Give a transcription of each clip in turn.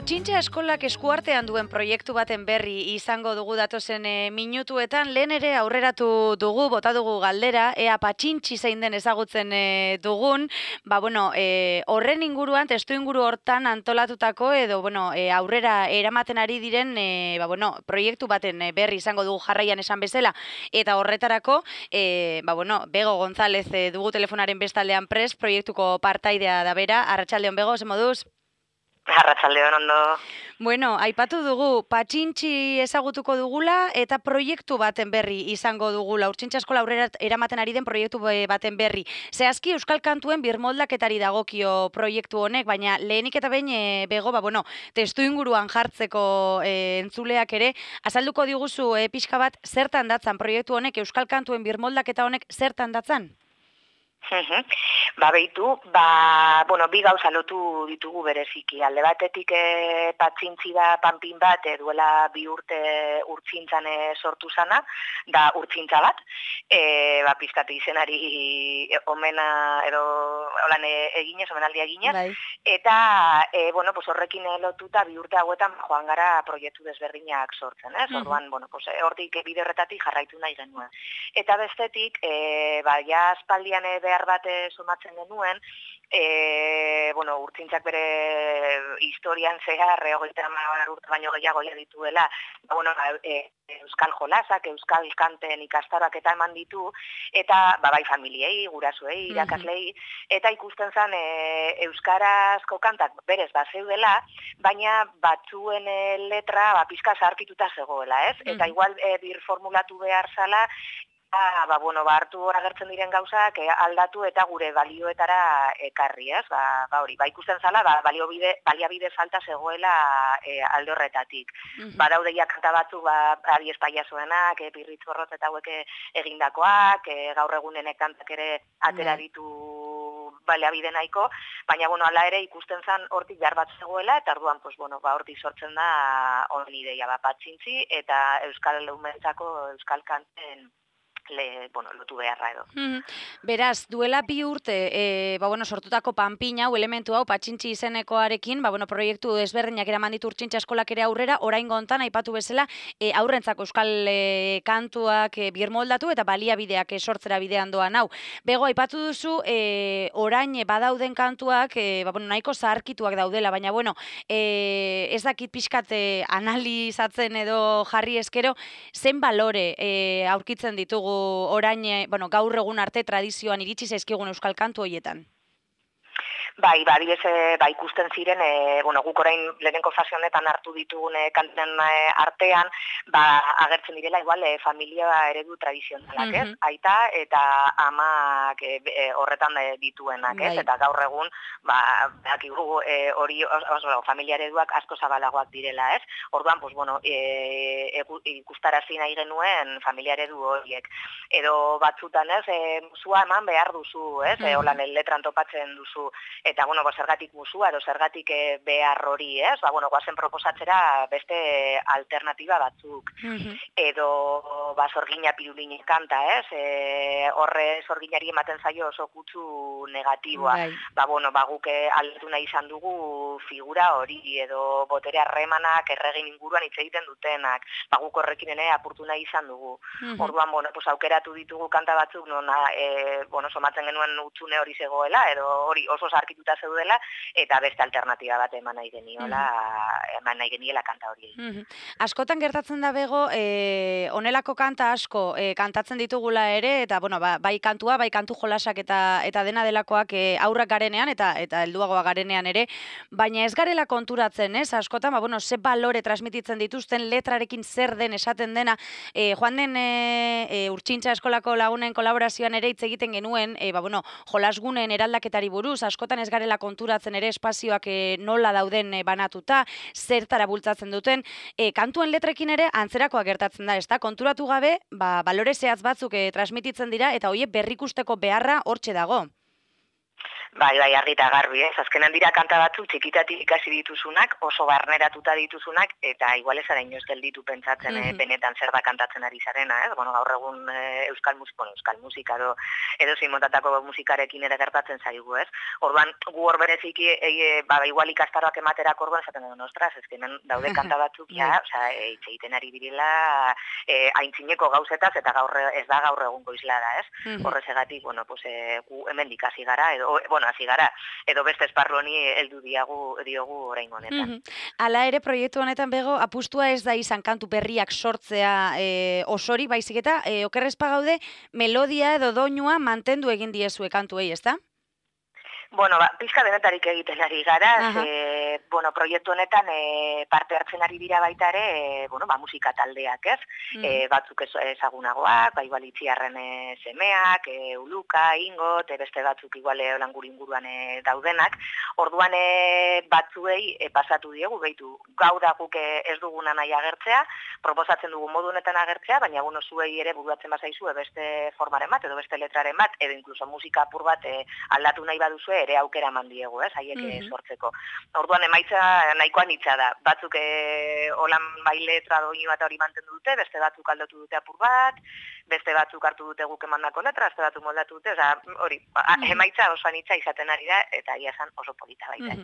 Urtsintxa eskolak eskuartean duen proiektu baten berri izango dugu datozen minutuetan. Lehen ere aurreratu dugu, bota dugu galdera, ea patxintxi zein den ezagutzen dugun. Horren inguruan, testu inguru hortan antolatutako edo aurrera eramaten ari diren proiektu baten berri izango dugu jarraian esan bezala. Eta horretarako, Bego González dugu telefonaren bestaldean prest, proiektuko partaidea da bera. Arratsaldeon Bego, ze moduz? Arratsaldeon ondo. Aipatu dugu, patxintxi ezagutuko dugula eta proiektu baten berri izango dugula. Urtsintxa eskola aurrera eramaten ari den proiektu baten berri. Zehazki Euskal Kantuen birmoldaketari dagokio proiektu honek, baina lehenik eta behin Bego, testu inguruan jartzeko entzuleak ere, azalduko diguzu pixka bat zertan datzan proiektu honek, Euskal Kantuen birmoldaketa honek zertan datzan? Bi gauza lotu ditugu bereziki. Alde batetik patxintzi da panpin bat duela 2 urte urtzintzan sortu zana, da urtzintza bat. Pizkate izenari omena edo holan eginez, omenaldia eginez. Bai. Eta horrekin lotuta 2 urte hauetan joan gara proiektu desberdinak sortzen. Orduan, hortik bide horretatik jarraitu nahi genuen. Eta bestetik, aspaldian behar bat sumatzen genuen, urtzintzak bere historian zehar, 30 urte baino gehiago dituela, euskal jolasak, euskal kanten ikastaroak eta eman ditu, eta bai familiei, gurasoei, irakaslei, eta ikusten zen euskarazko kantak berez zeudela, baina batzuen letra pizka zaharkituta zegoela, ez? Eta igual birformulatu behar zala, hartu agertzen diren gauzak aldatu eta gure balioetara ekarri, ez? Ikusten zala, baliabide falta zegoela alde horretatik. Badaudeia kanta batzuk, Ari Espaiazoenak, Pirritz Borrotz eta hauek egindakoak, gaur egunen kantak ere atera ditu baliabide nahiko, baina hala ere ikusten zen hortik behar bat zegoela, eta orduan hortik sortzen da honen ideia patxintzi eta euskal umentzako euskal kanten lotu beharra edo. Beraz, duela 2 urte sortutako panpin hau, elementu hau, patxintxi izenekoarekin, proiektu ezberdinak eraman ditu Urtsintxa eskolak ere aurrera, oraingo hontan aipatu bezala, aurrentzako euskal kantuak birmoldatu eta baliabideak sortzera bidean doan hau. Bego, aipatu duzu, orain badauden kantuak, nahiko zaharkituak daudela, baina ez dakit pixkat analizatzen edo jarri eskero, zen balore aurkitzen ditugu orain, gaur egun arte tradizioan iritsi zaizkigun euskal kantu horietan? Ikusten ziren, guk orain lehenengo fase honetan hartu ditugun kanten artean, agertzen direla igual familia eredu tradizionalak, ez? Aita eta amak horretan dituenak, ez? Eta gaur egun, hori familia ereduak asko zabalagoak direla, ez? Orduan, ikustarazi nahi genuen familia eredu horiek. Edo batzutan, ez? Musua eman behar duzu, ez? Holan letran topatzen duzu. Eta, zergatik musua edo zergatik behar hori, ez? Goazen proposatzera beste alternatiba batzuk. Edo, zorgina pirulini kanta, ez? Horre zorginari ematen zaio oso kutsu negatiboa. Guk aldatu nahi izan dugu figura hori, edo botere harremanak erregin inguruan hitz egiten dutenak. Guk horrekin apurtu nahi izan dugu. Orduan, aukeratu ditugu kanta batzuk, somatzen genuen utzune hori zegoela, edo hori oso zarkituta zeudela, eta beste alternatiba bat eman nahi geniela kanta hori. Askotan gertatzen da Bego, honelako kanta asko kantatzen ditugula ere, eta bai kantua, bai kantu jolasak eta dena delakoak aurrak garenean, eta helduagoa garenean ere, baina ez garela konturatzen, ez? Askotan, ze balore transmititzen dituzten, letrarekin zer den esaten dena, joan den Urtsintxa eskolako lagunen kolaborazioan ere hitz egiten genuen, jolasgunen eraldaketari buruz, askotan ez garela konturatzen ere espazioak nola dauden banatuta, zertara bultzatzen duten, kantuen letrekin ere antzerakoa gertatzen da, ezta? Konturatu gabe, balore zehatz batzuk transmititzen dira, eta horiek berrikusteko beharra hortxe dago. Bai, argi eta garbi, ez? Azkenan dira kanta batzuk txikitatik ikasi dituzunak, oso barneratuta dituzunak, eta igual ez ara inoz gelditu pentsatzen benetan zer da kantatzen ari zarena, ez? Bueno, gaur egun euskal musika edo zein motatako musikarekin ere gertatzen zaigu, ez? Orduan, gu hor bereziki, igual ikastaroak ematerako orduan, esaten dut, ostras, ezkenan daude kanta batzuk, hitz egiten ari direla, aintzineko gauzetaz, eta ez da gaur egungo islada, ez? Horrezegatik, bueno, pues, gu hemen dikasi gara, hasi gara, edo beste esparru honi heldu diogu oraingo honetan. Hala ere, proiektu honetan bego, apustua ez da izan kantu berriak sortzea osori, baizik eta okerrezpa gaude, melodia edo doinua mantendu egin diezue kantuei, ezta? Bueno, pizka denetarik egiten ari gara, proiektu honetan parte hartzen ari dira baita ere, musika taldeak, ez? Batzuk ezagunagoak, igual Itziarren semeak, Uluka, Ingot, beste batzuk igual Olanguri inguruan daudenak. Orduan batzuei pasatu diegu, behitu, gau da guk ez duguna nahi agertzea, proposatzen dugu modu honetan agertzea, baina zuei ere buruatzen bazaizu beste formaren bat, edo beste letraren bat, edo inkluso musika apur bat aldatu nahi baduzue, ere aukera eman diegu, haiek sortzeko. Orduan emaitza nahikoa nitza da. Batzuk holan bai letra doinu bat hori mantendu dute, beste batzuk aldatu dute apur bat, beste batzuk hartu dute guk emandako letra, beste batzuk moldatu dute, hori, emaitza oso anitza izaten ari da, eta ia esan oso polita baita.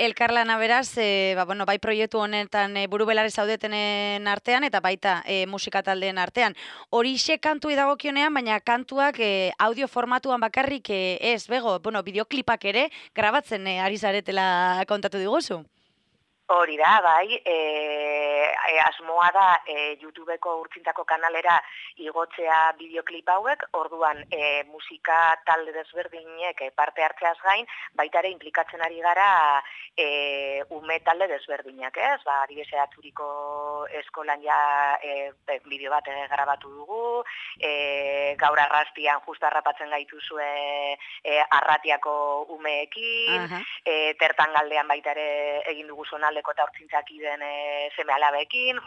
Elkarlana beraz, bai proiektu honetan burubelare zaudetenen artean, eta baita musika taldeen artean. Horixe kantu dagokionean, baina kantuak audio formatuan bakarrik ez, bego, bideoklipak ere grabatzen ari zaretela kontatu diguzu. Hori da, bai, asmoa da YouTubeko urtzintako kanalera igotzea bideoklip hauek, orduan musika talde desberdinek parte hartzeaz gain, baita ere implikatzen ari gara ume talde desberdinak, ez? Adibidez Aturiko eskolan ja bideo bat grabatu dugu, gaur arrastian justu harrapatzen gaituzue Arratiako umeekin, tertan galdean baita ere egin dugu zonaldeko eta hortzintzak iden seme-alabekin,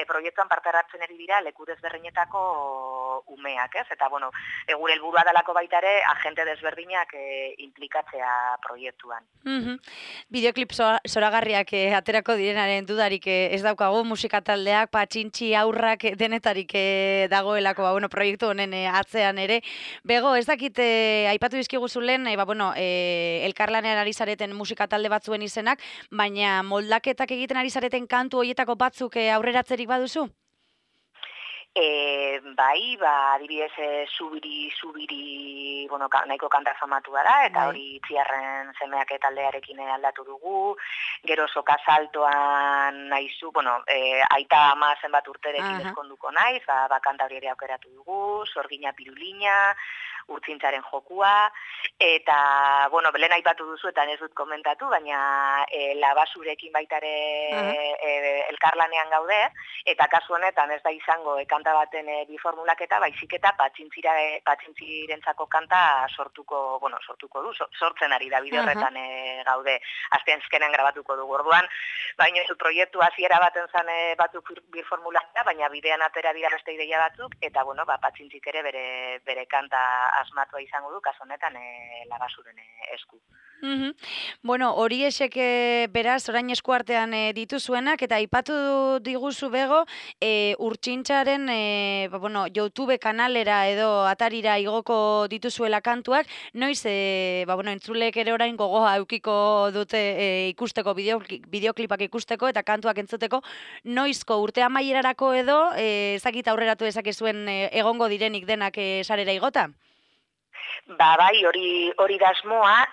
proiektuan parte hartzen ari dira leku desberdinetako umeak, ez? Eta, gure helburua dalako baita ere, agente desberdinak implikatzea proiektuan. Bideoklip zoragarriak aterako direnaren dudarik ez daukagu, musika taldeak, patxintxi aurrak denetarik dagoelako, proiektu honen atzean ere. Bego, ez dakit, aipatu dizkiguzu lehen, elkarlanean ari zareten musika talde batzuen izenak, baina moldaketak egiten ari zareten kantu horietako batzuk aurreratzerik baduzu? Bai, adibidez zubiri, nahiko kanta famatua da, eta hori Itziarren semeak taldearekin aldatu dugu, gero soka saltoan nahizu, aita ama zenbat urterekin ezkonduko naiz, kanta hori ere aukeratu dugu, sorgina pirulina, urtzintzaren jokua, eta, lehen aipatu duzu, eta ez dut komentatu, baina labasurekin baitare elkarlanean gaude, eta kasu honetan ez da izango kanta baten bi formulaketa, baizik eta patxintzirentzako kanta sortuko du, sortzen ari da bide horretan gaude, aztenzkenen grabatuko dugu orduan, baina proiektu hasiera baten zan batzuk bir formulaketa, baina bidean atera dira beste ideia batzuk, eta patxintzik ere bere kanta asmatua izango du, kasu honetan labasuren esku. Hori esek beraz, orain eskuartean dituzuenak, eta aipatu diguzu bego, urtsintxaren YouTube kanalera edo atarira igoko dituzuela kantuak, noiz, entzulek ere orain gogoa eukiko dute ikusteko, bideoklipak ikusteko eta kantuak entzuteko, noizko urte amaierarako edo, ezakit aurreratu dezakezuen egongo direnik denak sarera igota? Bai, hori da asmoa,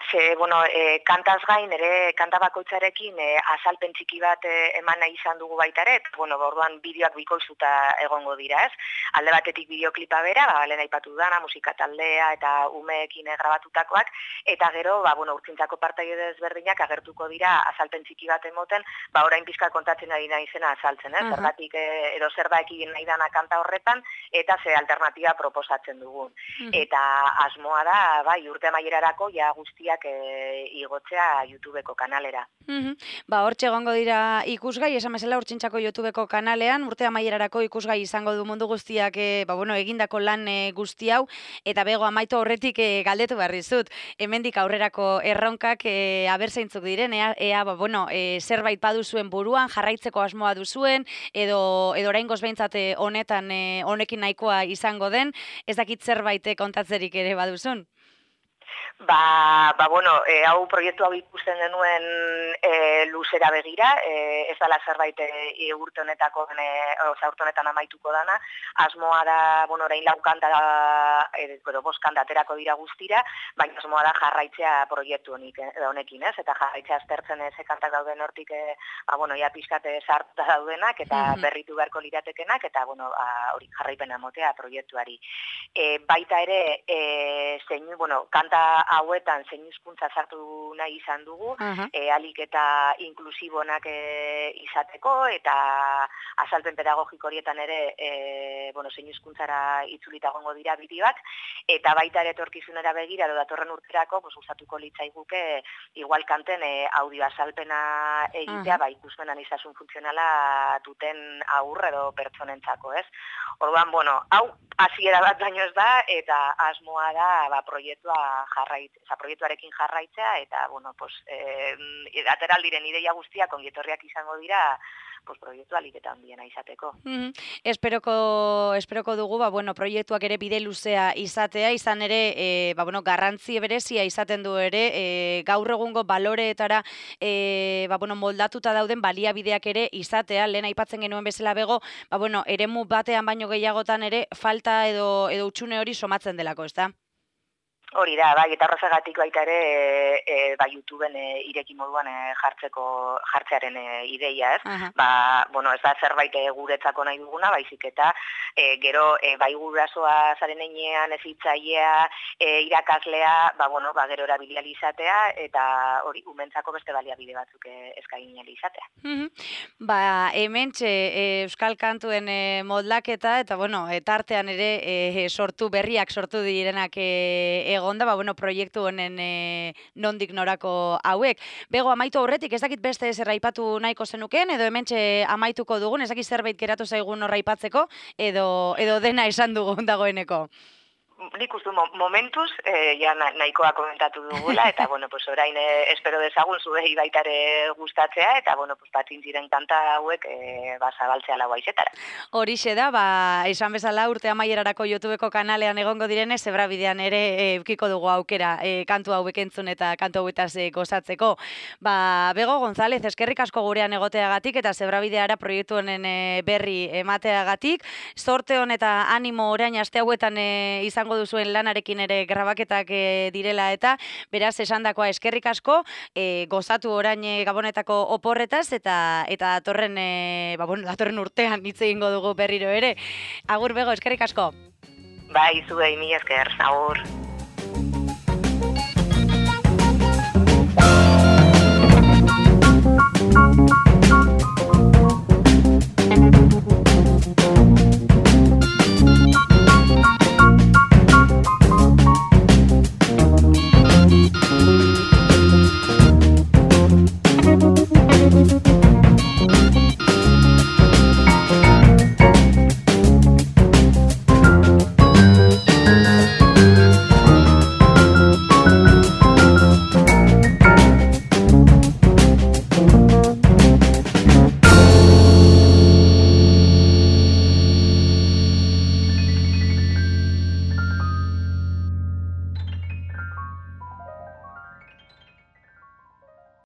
kantaz gain ere kanta bakoitzarekin azalpen txiki bat eman nahi izan dugu baita ere, orduan bideoak bikoizuta egongo dira, ez? Alde batetik bideoklipa bera, lehen aipatu dana, musika taldea eta umeekin grabatutakoak, eta gero, urtzintzako partaide desberdinak agertuko dira azalpen txiki bat emoten, orain pizka kontatzen ari nahi zena azaltzen, ez? Zergatik edo zer da ekin nahi dana kanta horretan, eta ze alternatiba proposatzen dugun. Eta asmoa asmoa da, bai, urte amaierarako ja guztiak igotzea YouTubeko kanalera. Hortxe egongo dira ikusgai, esan bezala Urtsintxako YouTubeko kanalean, urte amaierarako ikusgai izango du mundu guztiak egindako lan guzti hau, eta bego amaitu aurretik galdetu behar dizut. Hemendik aurrerako erronkak aber zeintzuk diren, ea zerbait baduzuen buruan, jarraitzeko asmoa duzuen, edo oraingoz behintzat honekin nahikoa izango den, ez dakit zerbait kontatzerik ere baduzun? Hau proiektu hau ikusten denuen luzera begira, ez dela zerbait urte honetan amaituko dana, asmoa da, orain laukanta boskanta aterako dira guztira, baina asmoa da jarraitzea proiektu honekin, ez? Eta jarraitzea aztertzen ze kantak dauden hortik, ja pixkate sartuta daudenak, eta berritu beharko liratekenak, eta hori jarraipena motea proiektuari. Baita ere, kanta hauetan zein hizkuntza sartu nahi izan dugu, alik eta inklusibonak izateko, eta azalpen pedagogiko horietan ere zein hizkuntzara itzulita egongo dira bideoak, eta baita ere etorkizunera begira edo datorren urterako gustatuko litzaiguke igual kanten audio azalpena egitea, ikusmen aniztasun funtzionala duten haur edo pertsonentzako, ez? Orduan, hau hasiera bat baino ez da, eta asmoa da proiektuarekin jarraitzea, eta, ateral diren ideia guztiak ongietorriak izango dira, proiektu alik eta handiena izateko. Esperoko dugu, proiektuak ere bide luzea izatea, izan ere, garrantzi berezia izaten du ere, gaur egungo baloreetara moldatuta dauden baliabideak ere izatea, lehen aipatzen genuen bezala bego, eremu batean baino gehiagotan ere falta edo utxune hori somatzen delako, ez da? Hori da, eta horrezagatik baita ere YouTubeen ireki moduan jartzearen ideia, ez? Ez da zerbait guretzako nahi duguna, baizik eta gero bai gurasoa zaren einean ezitzailea, irakaslea, gero erabilia izatea, eta hori umentzako beste baliabide batzuk eskaini izatea. Hementxe euskal kantuen moldaketa, eta tartean ere berriak sortu direnak egonda, proiektu honen nondik norako hauek. Bego, amaitu aurretik, ez dakit beste zer aipatu nahiko zenuken, edo hementxe amaituko dugun, ez dakit zerbait geratu zaigun horra aipatzeko, edo dena esan dugun dagoeneko. Nik uste momentuz nahikoa komentatu dugula, eta orain espero dezagun zuei baita ere gustatzea, eta patin ziren kanta hauek zabaltzea lau aizetara. Horixe da, esan bezala urte amaierarako YouTubeko kanalean egongo direnez, Zebrabidean ere eukiko dugu aukera kantu hauek entzun eta kantu hauetaz gozatzeko. Bego González, eskerrik asko gurean egoteagatik eta Zebrabideara proiektu honen berri emateagatik. Zorte hon eta animo orain aste hauetan izango duzuen lanarekin ere grabaketak direla, eta beraz esandakoa eskerrik asko, gozatu orain Gabonetako oporretaz, eta datorren urtean hitz egingo dugu berriro ere. Agur Bego, eskerrik asko. Zuei, mila esker, agur.